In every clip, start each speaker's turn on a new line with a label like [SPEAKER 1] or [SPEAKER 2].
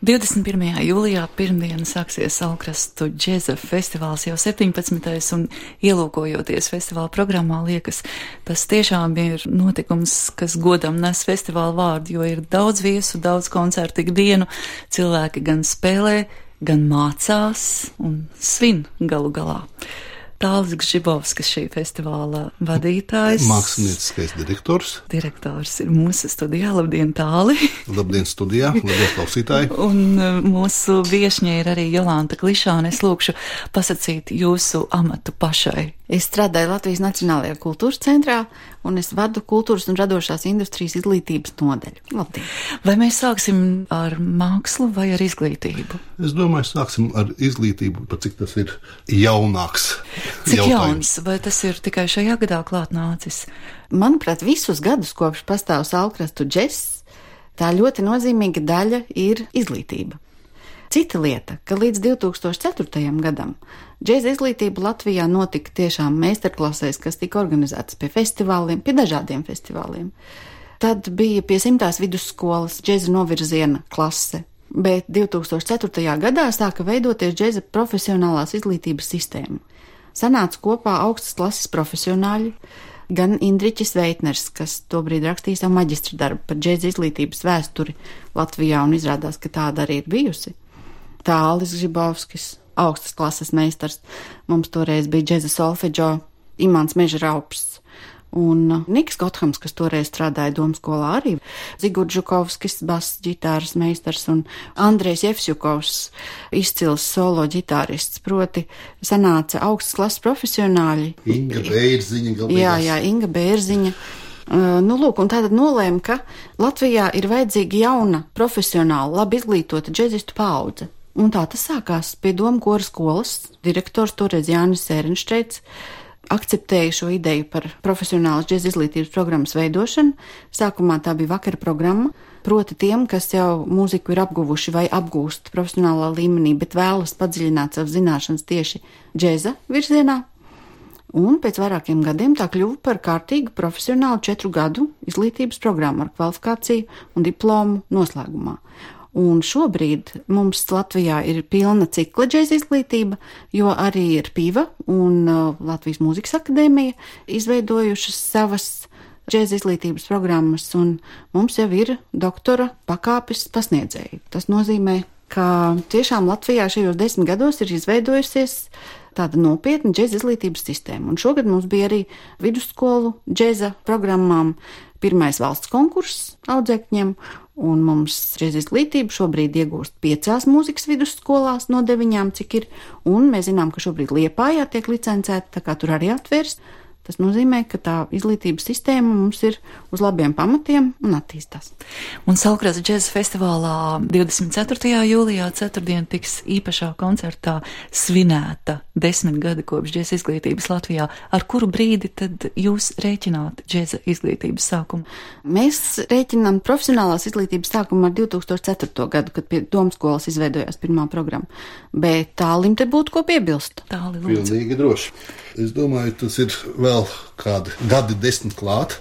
[SPEAKER 1] 21. jūlijā pirmdiena sāksies Salkrastu džeza festivāls jau 17. un ielūkojoties festivāla programmā liekas, tas tiešām ir notikums, kas godam nes festivāla vārdu, jo ir daudz viesu, daudz koncertu ikdienu, cilvēki gan spēlē, gan mācās un svin galu galā. Tālis Gžibovskis, šī festivāla vadītājs.
[SPEAKER 2] Mākslinieckais direktors.
[SPEAKER 1] Direktors ir mūsu studijā. Labdien, Tāli!
[SPEAKER 2] Labdien studijā, labdien klausītāji!
[SPEAKER 1] Un mūsu viešņa ir arī Jolanta Klišāne. Es lūkšu pasacīt jūsu amatu pašai.
[SPEAKER 3] Es strādāju Latvijas Nacionālajā kultūras centrā, un es vadu kultūras un radošās industrijas izglītības nodaļu. Labdien!
[SPEAKER 1] Vai mēs sāksim ar mākslu vai ar izglītību?
[SPEAKER 2] Es domāju, sāksim ar izglītību, pat cik tas ir jaunāks.
[SPEAKER 1] Cik jauns? Vai tas ir tikai šajā gadā klāt nācis?
[SPEAKER 3] Manuprāt, visus gadus, kopš pastāv Salkrastu džess, tā ļoti nozīmīga daļa ir izglītība. Cita lieta, ka līdz 2004. gadam džeza izglītība Latvijā notika tiešām meistarklasēs, kas tika organizētas pie festivāliem, pie dažādiem festivāliem. Tad bija pie 100. vidusskolas džeza novirziena klase, bet 2004. gadā sāka veidoties džeza profesionālās izglītības sistēma. Sanāca kopā augstas klases profesionāļi, gan Indriķis Veitners, kas tobrīd rakstīja savu maģistra darbu par džeza izglītības vēsturi Latvijā, un izrādās, ka tāda arī ir bijusi. Tālis Gžibovskis, augstas klases meistars, mums toreiz bija džeza solfeģo, Imants Meža Raups un Niks Gothams, kas toreiz strādāja domskolā arī, Zigurds Žukovskis, bass ģitāras meistars un Andrejs Jefsjukovs, izcils solo ģitārists, proti sanāca augstas klases profesionāļi.
[SPEAKER 2] Inga Bērziņa.
[SPEAKER 3] Jā, Inga Bērziņa. Un tātad nolēma, ka Latvijā ir vajadzīga jauna, profesionāla, labi izglītota džezistu paudze. Un tā tas sākās pie Doma kora skolas. Direktors toreiz Jānis Sērenšteits akceptēja šo ideju par profesionālas džeza izglītības programmas veidošanu. Sākumā tā bija vakara programma, proti tiem, kas jau mūziku ir apguvuši vai apgūst profesionālā līmenī, bet vēlas padziļināt savas zināšanas tieši džeza virzienā. Un pēc vairākiem gadiem tā kļuva par kārtīgu profesionālu 4 gadu izglītības programmu ar kvalifikāciju un diplomu noslēgumā. Un šobrīd mums Latvijā ir pilna cikla džeza izglītība, jo arī ir PIVA un Latvijas Mūzikas akadēmija izveidojušas savas džeza izglītības programmas, un mums jau ir doktora pakāpes pasniedzēji. Tas nozīmē, ka tiešām Latvijā šajos 10 gados ir izveidojusies tāda nopietna džeza izglītības sistēma. Un šogad mums bija arī vidusskolu džeza programmām pirmais valsts konkurss audzēkņiem, un mums džeza izglītība šobrīd iegūst 5 mūzikas vidusskolās no 9, cik ir, un mēs zinām, ka šobrīd Liepājā tiek licencēta, tā kā tur arī atvērst. Tas nozīmē, ka tā izglītības sistēma mums ir uz labiem pamatiem un attīstās.
[SPEAKER 1] Un Salkrastu džeza festivālā 24. jūlijā ceturtdien tiks īpašā koncertā svinēta 10 gadi kopš džeza izglītības Latvijā. Ar kuru brīdi tad jūs rēķināt džeza izglītības sākumu?
[SPEAKER 3] Mēs rēķinām profesionālās izglītības sākumu ar 2004. gadu, kad pie domskolas izveidojās pirmā programma. Bet Tālim te būtu ko piebilst.
[SPEAKER 1] Tāli, lūdzu.
[SPEAKER 2] Pilnīgi droši. Es domāju, tas ir vēl kādi gadi 10 klāt.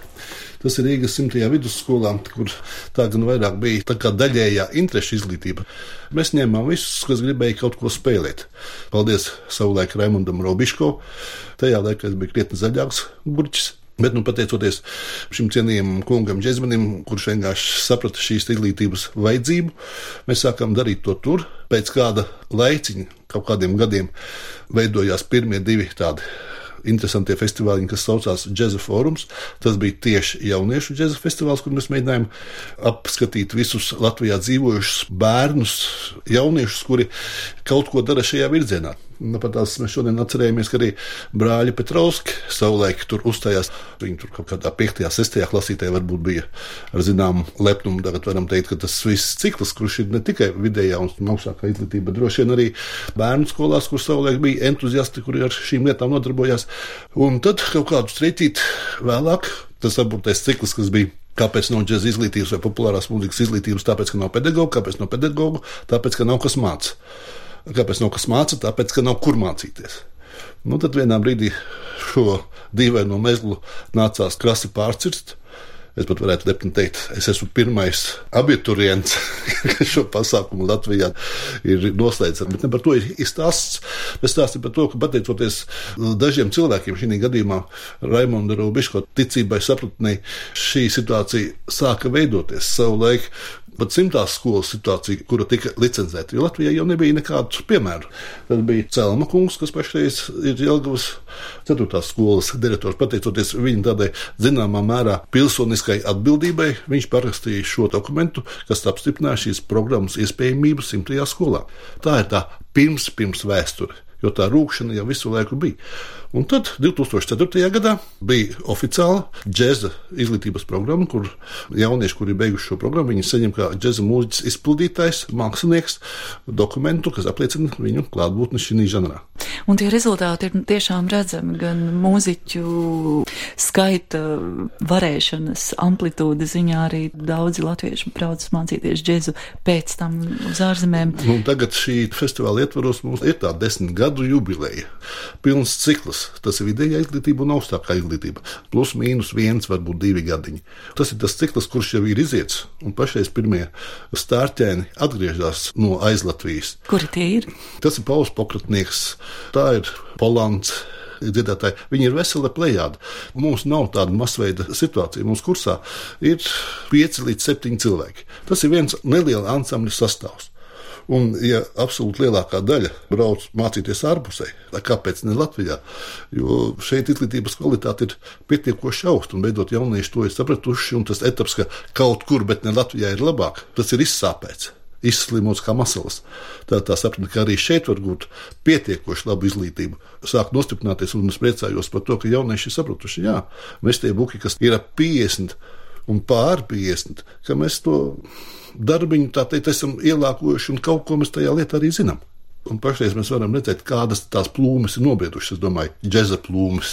[SPEAKER 2] Tas ir Rīgas 100. vidusskolā, kur tā gan vairāk bija tā kā daļējā interešu izglītība. Mēs ņēmām visus, kas gribēja kaut ko spēlēt. Paldies savulaik Raimundam Robiško. Tajā laikā es biju krietni zaļāks burķis. Bet, pateicoties šim cienījamam kungam džezmenim, kurš vienkārši saprata šīs izglītības vajadzību, mēs sākām darīt to tur. Pēc kāda laiciņa, kaut kādiem gadiem, veidojās pirmie 2 tādi interesantie festivāli, kas saucās Džeza fórums. Tas bija tieši jauniešu džeza festivāls, kur mēs mēģinājām apskatīt visus Latvijā dzīvojušus bērnus, jauniešus, kuri kaut ko dara šajā virzienā. Pat tās mēs šodien atcerējamies, ka arī brāļi Petrovski savulaik tur uzstājās. Viņi tur kaut kādā 5., 6. klasītē varbūt bija ar zināmu lepnumu. Tagad varam teikt, ka tas viss cikls, kurš ir ne tikai vidējā un augstākā izglītība, bet droši vien arī bērnu skolās, kur savulaik bija entuziasti, kuri ar šīm lietām nodarbojās. Un tad kaut kādus treķīt vēlāk, tas aburtais cikls, kas bija. Kāpēc nav džeza izglītības vai populārās mūzikas izglītības? Tāpēc, ka nav pedagogu. Kāpēc nav pedagogu? Tāpēc, ka nav kas māca. Kāpēc nav kas māca? Tāpēc, ka nav kur mācīties. Tad vienā brīdī šo dīvaino mezglu nācās krasi pārcirst. Es pat varētu lepni teikt, es esmu pirmais abiturients, kas šo pasākumu Latvijā ir noslēdzis. Bet ne par to ir stāsts. Bet stāsts ir par to, ka pateicoties dažiem cilvēkiem, šī gadījumā Raimonda Robiško ticībai, sapratnei, šī situācija sāka veidoties savulaik. Pat 100. skolas situācija, kura tika licencēta, jo Latvijā jau nebija nekādu piemēru. Tad bija Celma kungs, kas pašreiz ir Jelgavas 4. skolas direktors. Pateicoties viņa tādai zināmā mērā pilsoniskai atbildībai, viņš parakstīja šo dokumentu, kas apstiprināja šīs programmas iespējamību 100. skolā. Tā ir tā pirms vēsture, jo tā rūkšana jau visu laiku bija. Un tad 2004. gadā bija oficiāla džeza izglītības programma, kur jaunieši, kuri beiguši šo programmu, viņi saņem kā džeza mūziķis izpildītājs, mākslinieks dokumentu, kas apliecina viņu klātbūtni šī žanrā.
[SPEAKER 1] Un tie rezultāti ir tiešām redzami, gan mūziķu skaita varēšanas amplitūda ziņā, arī daudzi latvieši brauc mācīties džezu pēc tam uz ārzemēm.
[SPEAKER 2] Tagad šī festivāla ietvaros mums ir tā 10 gadu jubileja, pilns cikls. Tas ir vidējā izglītība un augstākā izglītība. Plus mīnus 1, varbūt 2 gadiņi. Tas ir tas cikls, kurš jau ir iziets, un pašreiz pirmie stārķēni atgriežas no aizlatvijas.
[SPEAKER 1] Kuri tie ir?
[SPEAKER 2] Tas ir Pauls Pokratnieks, tā ir Polants dziedātāji. Viņi ir vesela plejāda. Mums nav tāda masveida situācija. Mums kursā ir 5 līdz 7 cilvēki. Tas ir viens neliela ansambļa sastāvs. Un, ja absolūti lielākā daļa brauc mācīties ārpusē, kāpēc ne Latvijā? Jo šeit izglītības kvalitāte ir pietiekoši augsta, un beidzot jaunieši to ir sapratuši, un tas etaps, ka kaut kur, bet ne Latvijā ir labāk, tas ir izsāpēts, izslimots kā masalas. Tā saprata, ka arī šeit var būt pietiekoši labu izglītību. Sāk nostiprināties, un es priecājos par to, ka jaunieši ir sapratuši, jā, mēs tie buki, kas ir ap 50 un pār 50, ka mēs to darbiņu, tā teikt, esam ielākojuši, un kaut ko mēs tajā lietā arī zinām. Un pašreiz mēs varam redzēt, kādas tās plūmes ir nobriedušas, es domāju, džeza plūmes.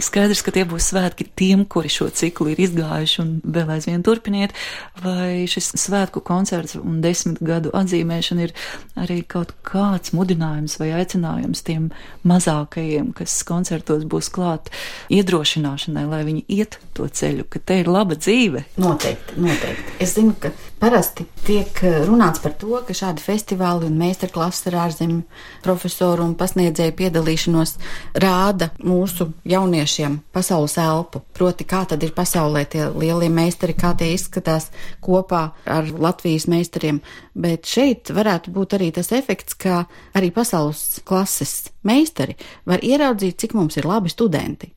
[SPEAKER 1] Skaidrs, ka tie būs svētki tiem, kuri šo ciklu ir izgājuši un vēl aizvien turpiniet, vai šis svētku koncerts un 10 gadu atzīmēšana ir arī kaut kāds mudinājums vai aicinājums tiem mazākajiem, kas koncertos būs klāt, iedrošināšanai, lai viņi iet to ceļu, ka te ir laba dzīve.
[SPEAKER 3] Noteikti. Es zinu, ka parasti tiek runāts par to, ka šādi festivāli un meistarklases ar ārzemju profesoru un pasniedzēju piedalīšanos rāda mūsu jauniešiem pasaules elpu. Proti, kā tad ir pasaulē tie lielie meistari, kā tie izskatās kopā ar Latvijas meistariem. Bet šeit varētu būt arī tas efekts, ka arī pasaules klases meistari var ieraudzīt, cik mums ir labi studenti.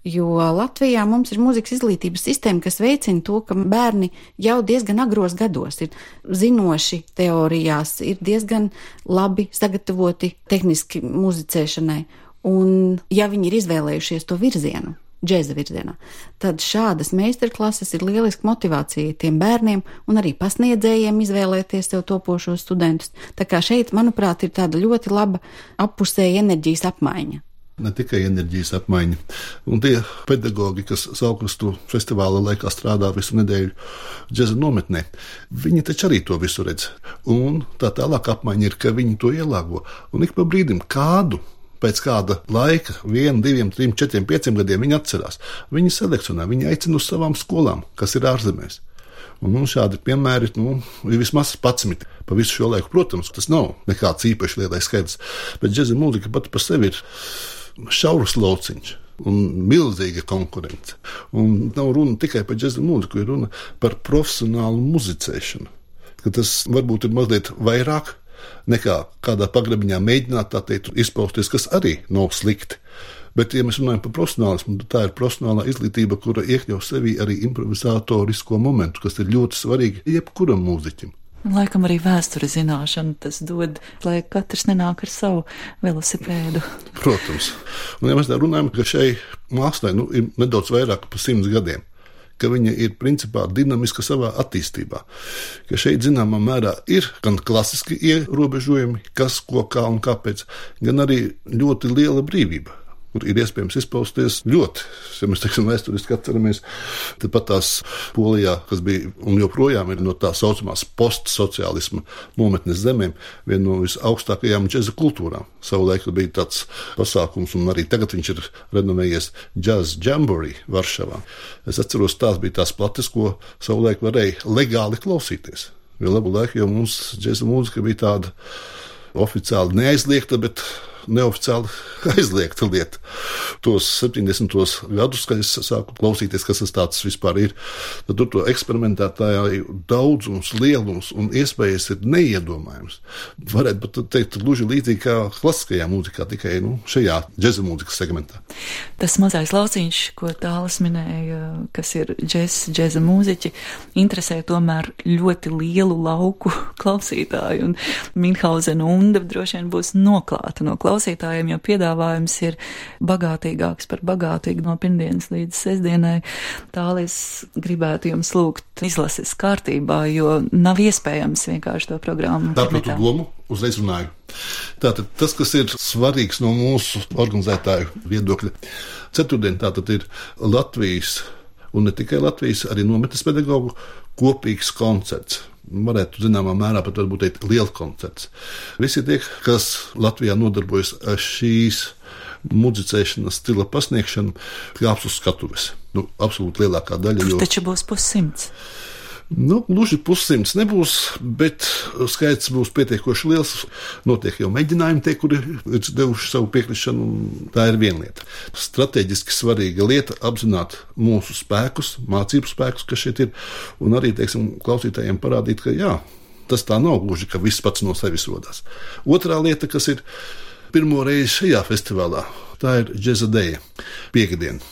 [SPEAKER 3] Jo Latvijā mums ir mūzikas izglītības sistēma, kas veicina to, ka bērni jau diezgan agros gados ir zinoši teorijās, ir diezgan labi sagatavoti tehniski muzicēšanai. Un ja viņi ir izvēlējušies to virzienu, džeza virzienā, tad šādas meistarklases ir lieliska motivācija tiem bērniem un arī pasniedzējiem izvēlēties sev topošos studentus. Tā kā šeit, manuprāt, ir tāda ļoti laba appusēja enerģijas apmaiņa.
[SPEAKER 2] Ne tikai enerģijas apmaiņa. Un tie pedagogi, kas Saukrastu festivāla laikā strādā visu nedēļu džeza nometnē, viņi taču arī to visu redz. Un tā tālāk apmaiņa ir, ka viņi to ielāgo. Un ik pa brīdim pēc kāda laika, 1, 2, 3, 4, 5 gadiem viņi atcerās. Viņi selekcionē, viņi aicina uz savām skolām, kas ir ārzemēs. Un šādi piemēri ir vismaz 11 pa visu šo laiku. Protams, tas nav nekāds īpaši lielais skaidrs, bet džeza mūzika pati par sevi ir šaurs lauciņš un milzīga konkurence. Un nav runa tikai par džeza mūziku, ir runa par profesionālu muzicēšanu. Ka tas varbūt ir mazliet vairāk nekā kādā pagrabiņā mēģināt tā teikt izpausties, kas arī nav slikti. Bet, ja mēs runājam par profesionālismu, tad tā ir profesionālā izglītība, kura iekļauj sevī arī improvizatorisko momentu, kas ir ļoti svarīgi jebkuram mūziķim.
[SPEAKER 1] Laikam arī vēstures zināšana tas dod, lai katrs nenāk ar savu velosipēdu.
[SPEAKER 2] Protams. Un ja mēs tā runājam, ka šai mākslai ir nedaudz vairāk par 100 gadiem, ka viņa ir principā dinamiska savā attīstībā, ka šeit zināmā mērā ir gan klasiski ierobežojumi, kas, ko, kā un kāpēc, gan arī ļoti liela brīvība. kur ir iespējams izpausties ļoti. Ja mēs, vēsturiski atceramies, tad pat tās Polijā, kas bija un joprojām ir no tā saucamās postsociālisma nometnes zemēm, viena no visaugstākajām džeza kultūrām. Savulaik bija tāds pasākums, un arī tagad viņš ir renovējies Jazz Jamboree Varšavā. Es atceros, tās bija tās plates, ko savulaik varēja legāli klausīties. Jo labu laiku jau mums džeza mūzika bija tāda oficiāli neaizliegta, bet neoficiāli aizliegta lieta. Tos 70. gadus, kad es sāku klausīties, kas tas tāds vispār ir, tad tur to eksperimentētāju daudzums, lielums un iespējas ir neiedomājums. Varētu pat teikt gluži līdzīgi kā klasiskajā mūzikā, tikai šajā džeza mūzikas segmentā.
[SPEAKER 1] Tas mazais lauciņš, ko Tālis minēja, kas ir džeza mūziķi, interesē tomēr ļoti lielu lauku klausītāju, un Minhausena Unda droši vien būs noklāta no klausītājiem, jo piedāvājums ir bagātīgāks par bagātīgu no pirmdienas līdz sestdienai. Tālis gribētu jums lūgt izlases kārtībā, jo nav iespējams vienkārši to programmu.
[SPEAKER 2] Tāpēc domu uzreiz runāju. Tātad tas, kas ir svarīgs no mūsu organizētāju viedokļa, ceturtdien tātad ir Latvijas, un ne tikai Latvijas, arī nometnes pedagogu kopīgs koncerts. Varētu zināmā mērā pat varbūt teikt liels koncerts. Visi tie, kas Latvijā nodarbojas ar šīs muzicēšanas stila pasniegšanu, kāps uz skatuves. Absolūti lielākā daļa.
[SPEAKER 1] Taču būs 100.
[SPEAKER 2] Gluži 100 nebūs, bet skaits būs pietiekoši liels. Notiek jau mēģinājumi tie, kuri ir devuši savu piekrišanu, un tā ir viena lieta. Strateģiski svarīga lieta apzināt mūsu spēkus, mācību spēkus, kas šeit ir, un arī, klausītājiem parādīt, ka jā, tas tā nav gluži, ka viss pats no sevis rodās. Otrā lieta, kas ir pirmo reizi šajā festivālā, tā ir Džeza Deja, piektdiena.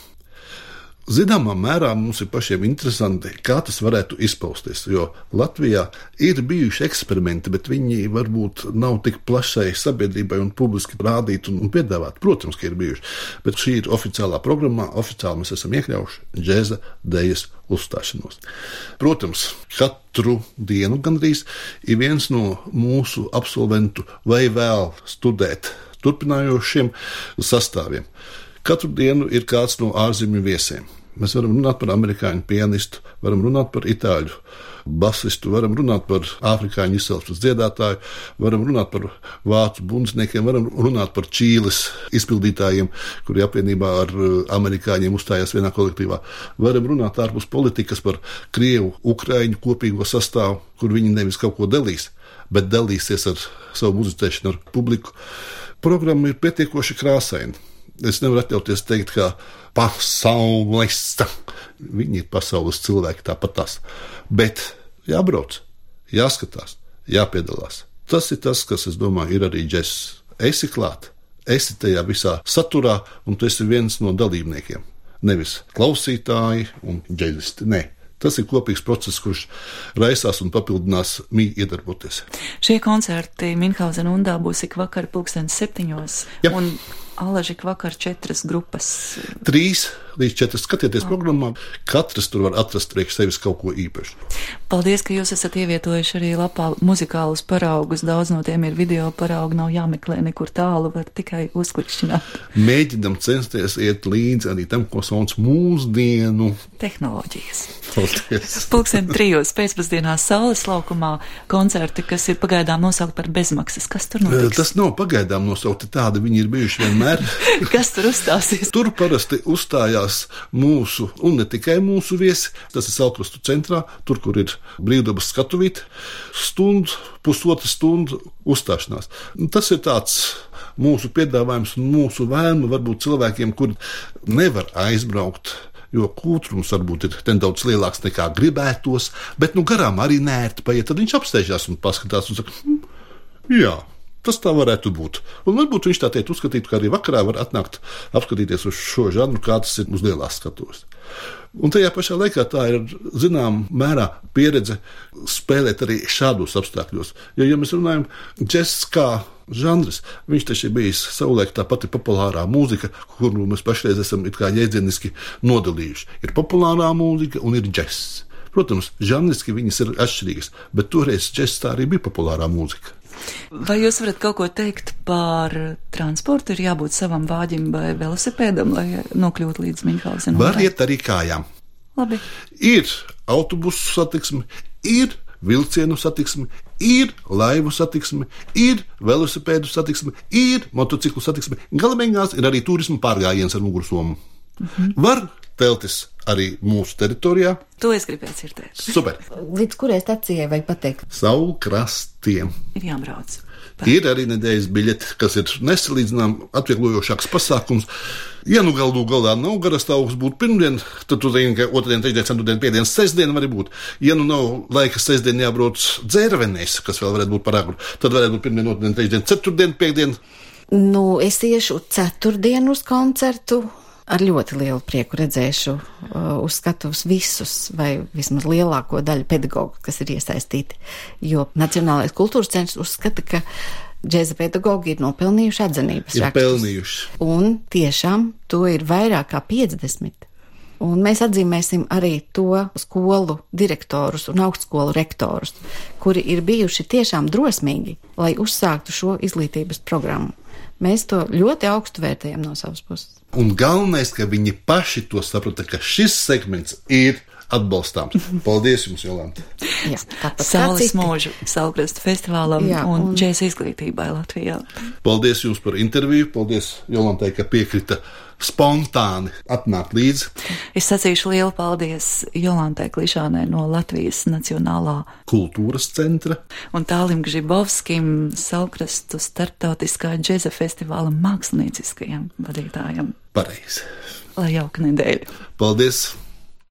[SPEAKER 2] Zināmā mērā mums ir pašiem interesanti, kā tas varētu izpausties, jo Latvijā ir bijuši eksperimenti, bet viņi varbūt nav tik plašai sabiedrībai un publiski rādīti un piedāvāti. Protams, ka ir bijuši, bet šī ir oficiālā programmā, oficiāli mēs esam iekļaujuši Džeza Dejas uzstāšanos. Protams, katru dienu gandrīz ir viens no mūsu absolventu vai vēl studēt turpinājošiem sastāviem. Katru dienu ir kāds no ārzemju viesiem. Mēs varam runāt par amerikāņu pianistu, varam runāt par itāļu basistu, varam runāt par afrikāņu izcelsmes dziedātāju, varam runāt par vācu bundzniekiem, varam runāt par Čīles izpildītājiem, kuri apvienībā ar amerikāņiem uzstājās vienā kolektīvā. Varam runāt ārpus politikas par krievu, ukraiņu kopīgo sastāvu, kur viņi nevis kaut ko dalīs, bet dalīsies ar savu muzicēšanu ar publiku. Programma ir pietiekoši krāsaina. Es nevaru atļauties teikt, ka pasaules, viņi ir pasaules cilvēki tāpat tās. Bet jābrauc, jāskatās, jāpiedalās. Tas ir tas, kas, es domāju, ir arī džess. Esi klāt, esi tajā visā saturā, un tu esi viens no dalībniekiem. Nevis klausītāji un džezisti, nē. Tas ir kopīgs process, kurš raisās un papildinās iedarboties.
[SPEAKER 1] Šie koncerti Minhausena Undā būs ik vakar 7:00.
[SPEAKER 2] Ja.
[SPEAKER 1] Un Alaži ik vakar 4 grupas.
[SPEAKER 2] 3 līdz 4 skatieties programmā. Katrs tur var atrast priekš sevis kaut ko īpašu.
[SPEAKER 1] Paldies, ka jūs esat ievietojuši arī lapā muzikālus paraugus. Daudz no tiem ir video paraugi, nav jāmeklē nekur tālu, var tikai uzklikšķināt.
[SPEAKER 2] Mēģinam censties iet līdzi arī tam, ko sauc mūsdienu
[SPEAKER 1] tehnoloģijas.
[SPEAKER 2] Paldies.
[SPEAKER 1] 3:00 pēcpusdienā Saules laukumā koncerti, kas ir pagaidām nosaukti par bezmaksas. Kas tur notiks?
[SPEAKER 2] Tas nav pagaidām nosaukti tādi, viņi ir bijuši vienmēr.
[SPEAKER 1] Kas tur uzstāsies?
[SPEAKER 2] Tur parasti uzstājās mūsu, un ne tikai mūsu viesi. Tas ir Saulkrastu centrā, tur, kur ir brīvdabas skatuvīte, pusotra stundu uzstāšanās. Tas ir tāds mūsu piedāvājums un mūsu vēlme varbūt cilvēkiem, kuri nevar aizbraukt, jo kūtrums varbūt ir nedaudz lielāks nekā gribētos, bet garām arī nērti paiet, tad viņš apsteidžās un paskatās un saka, jā. Tas tā varētu būt. Un varbūt viņš tā teikt uzskatīt, ka arī vakarā var atnākt apskatīties uz šo žanru, kā tas ir uz lielās skatuves. Un tajā pašā laikā tā ir, zinām, mērā pieredze spēlēt arī šādos apstākļos. Jo, ja mēs runājam džess kā žanrs, viņš taču ir bijis savulaik tā pati populārā mūzika, kuru mēs pašreiz esam it kā jēdzieniski nodalījuši. Ir populārā mūzika un ir džess. Protams, žanriski viņas ir atšķirīgas, bet toreiz džess tā arī bija populārā mūzika.
[SPEAKER 1] Vai jūs varat kaut ko teikt par transportu? Ir jābūt savam vāģim vai velosipēdam, lai nokļūtu līdz Minhausenam?
[SPEAKER 2] Var iet arī kājām.
[SPEAKER 1] Labi.
[SPEAKER 2] Ir autobusu satiksme, ir vilcienu satiksme, ir laivu satiksme, ir velosipēdu satiksme, ir motociklu satiksme. Galamēņās ir arī turisma pārgājiens ar mugursomu. Var teltis arī mūsu teritorijā.
[SPEAKER 1] To es gribēju dzirdēt.
[SPEAKER 2] Super.
[SPEAKER 3] Līdz kurai stacijai vajag pateikt?
[SPEAKER 2] Saulkrastiem.
[SPEAKER 1] Ir jābrauc.
[SPEAKER 2] Ir arī nedēļas biļete, kas ir nesalīdzinām atvieglojošāks pasākums. Ja nu galu galā nav garastāvoklis būt pirmdien, tad tu zini, ka otrdien, trešdien, ceturtdien, piekdien, sestdien var būt. Ja nu nav laika sestdien jābrauc dzērvenēs, kas vēl varētu būt par agru, tad varētu būt pirmdien, otrdien, trešdien, ceturtdien, piekdien.
[SPEAKER 3] Nu, es iešu ceturtdienu uz koncertu. Ar ļoti lielu prieku redzēšu uz skatuves visus, vai vismaz lielāko daļu pedagogu, kas ir iesaistīti. Jo Nacionālais kultūras centrs uzskata, ka džēza pedagogi ir nopelnījuši atzinības rakstus.
[SPEAKER 2] Ir pelnījuši.
[SPEAKER 3] Un tiešām to ir vairāk kā 50. Un mēs atzīmēsim arī to skolu direktorus un augstskolu rektorus, kuri ir bijuši tiešām drosmīgi, lai uzsāktu šo izglītības programmu. Mēs to ļoti augstu vērtējam no savas puses.
[SPEAKER 2] Un galvenais, ka viņi paši to saprata, ka šis segments ir atbalstāms. Paldies jums, Jolanta!
[SPEAKER 3] Jā,
[SPEAKER 1] Saules mūžu Saulkrastu festivālam un džēza izglītībai Latvijā.
[SPEAKER 2] Paldies jums par interviju, paldies Jolantai, ka piekrita spontāni atnākt līdzi.
[SPEAKER 1] Es sacīšu lielu paldies Jolantai Klišānai no Latvijas Nacionālā
[SPEAKER 2] kultūras centra
[SPEAKER 1] un Tālim Gžibovskim, Saulkrastu starptautiskā džēza festivāla mākslinieciskajam vadītājam.
[SPEAKER 2] Pareizi.
[SPEAKER 1] Lai jauka nedēļa.
[SPEAKER 2] Paldies!